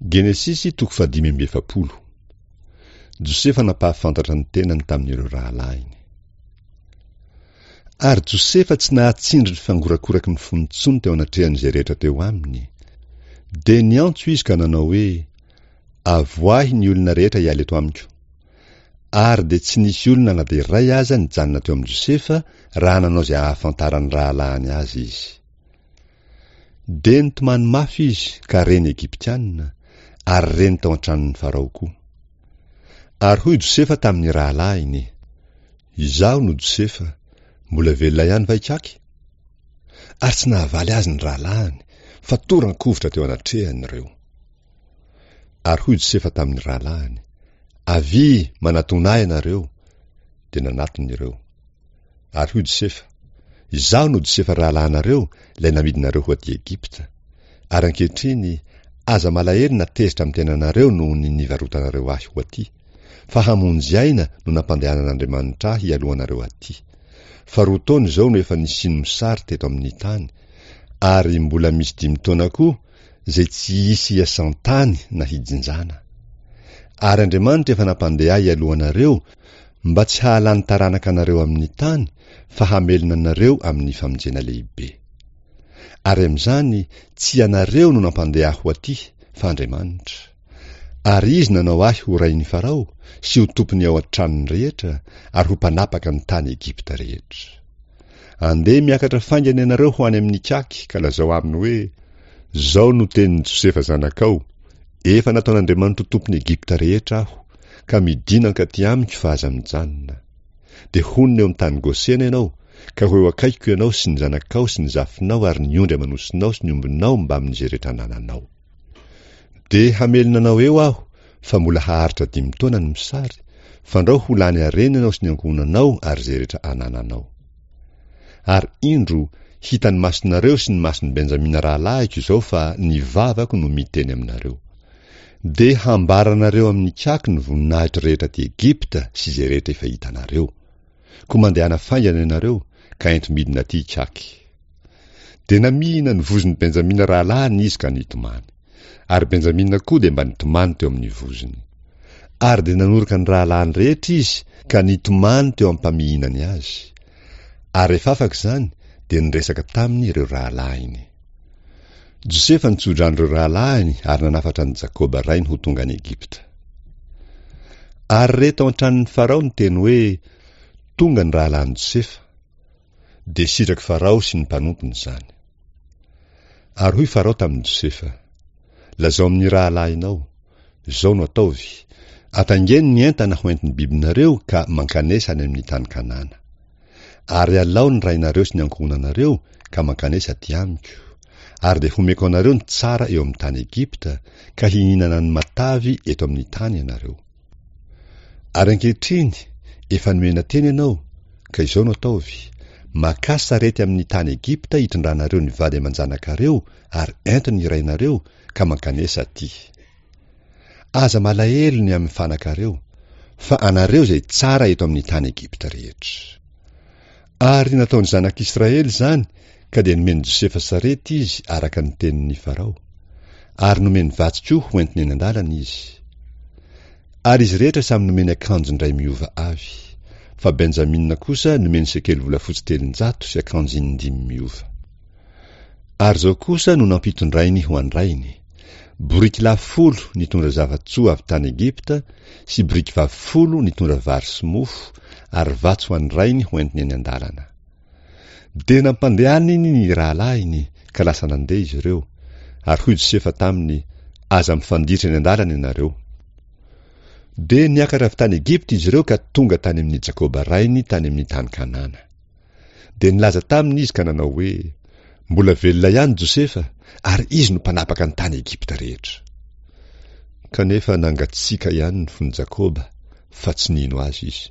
Genesisy toko fahadimy amby 40. Josefa nampahafantatra ny tenany tamin'ireo rahalahiny. Ary Josefa tsy nahatsindry ny fangorakoraky ny fony intsony teo anatrehan'izay rehetra teo aminy. Dia niantso izy ka nanao hoe, Avoahy ny olona rehetra hiala eto amiko. Ary dia tsy nisy olona na dia iray aza nijanona teo amin'i Josefa raha nanao izay hahafantaran'ny rahalahiny azy izy. Dia nitomany mafy izy ka reny Egyptiana, ary reny tao an-tranon'i Farao koa. Ary hoy Josefa tamin'ny rahalahiny, Izaho no Josefa, mbola velona ihany va ikaky? Ary tsy nahavaly azy ny rahalahiny, fa toran-kovitra teo anatrehany ireo. Ary hoy Josefa tamin'ny rahalahiny, Avia, manatòna ahy ianareo. Dia nanatona ireo. Ary hoy Josefa, Izaho no Josefa rahalahinareo, ilay namidinareo ho aty Egypta. Ary ankehitriny, aza malahelo na tezitra amin'ny tenanareo noho ny nivarotanareo ahy ho aty, fa hamonjy aina no nampandehanan'Andriamanitra ahy hialohanareo aty. Fa roa taona izao no efa nisian'ny mosary teto amin'ny tany, ary mbola misy dimy taona koa izay tsy hisy hiasan-tany na hijinjana. Ary Andriamanitra efa nampandeha ahy hialohanareo mba tsy hahalany taranaka anareo amin'ny tany fa hamelona anareo amin'ny famonjena lehibe. Ary amin'izany tsy ianareo no nampandeha ahy ho aty fa Andriamanitra. Ary Izy nanao ahy ho rain'i Farao sy ho tompon'ny ao an-tranony rehetra ary ho mpanapaka ny tany Egypta rehetra. Andeha miakatra faingana ianareo ho any amin'ikaky ka lazao aminy hoe, Izao no tenin'i Josefa zanakao, Efa nataon'Andriamanitra ho tompon'i Egypta rehetra aho, ka midìna hankaty amiko fa aza mijanona. Dia honina eo amin'ny tany Gosena ianao, ka ho eo akaikiko ianao sy ny zanakao sy ny zafinao ary ny ondry aman'osinao sy ny ombinao mbamin'izay rehetra anananao. Dia hamelona anao eo aho, fa mbola haharitra dimy taona ny mosary, fandrao ho lany harena ianao sy ny ankohonanao ary izay rehetra anananao. Ary indro, hitan'ny masonareo sy ny mason'i Benjamina rahalahiko izao fa ny vavako no miteny aminareo. Dia hambaranareo amin'ny kaky ny voninahitro rehetra aty Egypta sy izay rehetra efa hitanareo. Koa mandehana faingana ianareo, ka ento midina aty i kaky. Dia namihina ny vozon'i Benjamina rahalahiny izy ka nitomany. Ary Benjamina koa dia mba nitomany teo amin'ny vozony. Ary dia nanoroka ny rahalahiny rehetra izy ka nitomany teo am-pamihinany azy. Ary rehefa afaka izany, dia niresaka taminy ireo rahalahiny. Josefa nitsodrano ireo rahalahiny ary nanafatra an'i Jakoba rainy ho tonga any Egypta. Ary re tao an-tranon'i Farao ny teny hoe, Tonga ny rahalahin'i Josefa. Dia sitrak'i Farao sy ny mpanompony izany. Ary hoy Farao tamin'i Josefa, Lazao amin'ny rahalahinao, Izao no ataovy, Ataingeno ny entana ho entin'ny bibinareo ka mankanesa any amin'ny tany Kanana. Ary alao ny rainareo sy ny ankohonanareo ka mankanesa aty amiko, ary dia homeko anareo ny tsara eo amin'ny tany Egypta, ka hihinana ny matavy eto amin'ny tany ianareo. Ary ankehitriny, efa nomena teny ianao, ka izao no ataovy, Makà sarety amin'ny tany Egypta hitondranareo ny vady aman-janakareo ary ento ny rainareo, ka mankanesa aty. Aza malahelo ny amin'ny fanakareo, fa anareo izay tsara eto amin'ny tany Egypta rehetra. Ary nataon'ny zanak'Israely izany, ka dia nomen'i Josefa sarety izy araka ny tenin'i Farao. Ary nomeny vatsy koa ho entiny eny an-dalana izy. Ary izy rehetra samy nomeny akanjo indray miova avy. Fa Benjamina kosa nomeny sekely volafotsy 300 sy akanjo indimy miova. Ary izao kosa no nampitondrainy ho an-drainy, boriky lahy folo nitondra zava-tsoa avy tany Egypta sy boriky vavy folo nitondra vary sy mofo ary vatsy ho an-drainy ho entiny eny an-dalana. Dia nampandehaniny ny rahalahiny ka lasa nandeha izy ireo, ary hoy Josefa taminy, Aza mifanditra eny an-dalana ianareo. Dia niakatra avy tany Egypta izy ireo ka tonga tany amin'i Jakoba rainy tany amin'ny tany Kanana. Dia nilaza taminy izy ka nanao hoe, Mbola velona ihany Josefa, ary izy no mpanapaka ny tany Egypta rehetra. Kanefa nangatsiaka ihany ny fon'i Jakoba, fa tsy nino azy izy.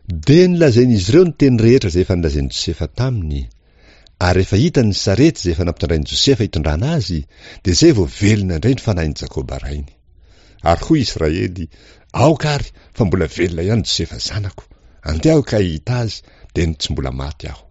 Dia nolazain'izy ireo ny teny rehetra izay efa nolazain'i Josefa taminy, ary rehefa hitany ny sarety izay efa nampitondrain'i Josefa hitondrana azy, dia izay vao velona indray ny fanahin'i Jakoba rainy. Ary hoy Israely, Aoka àry, fa mbola velona ihany Josefa zanako. Andeha aho ka hahita azy, dia ny tsy mbola maty aho.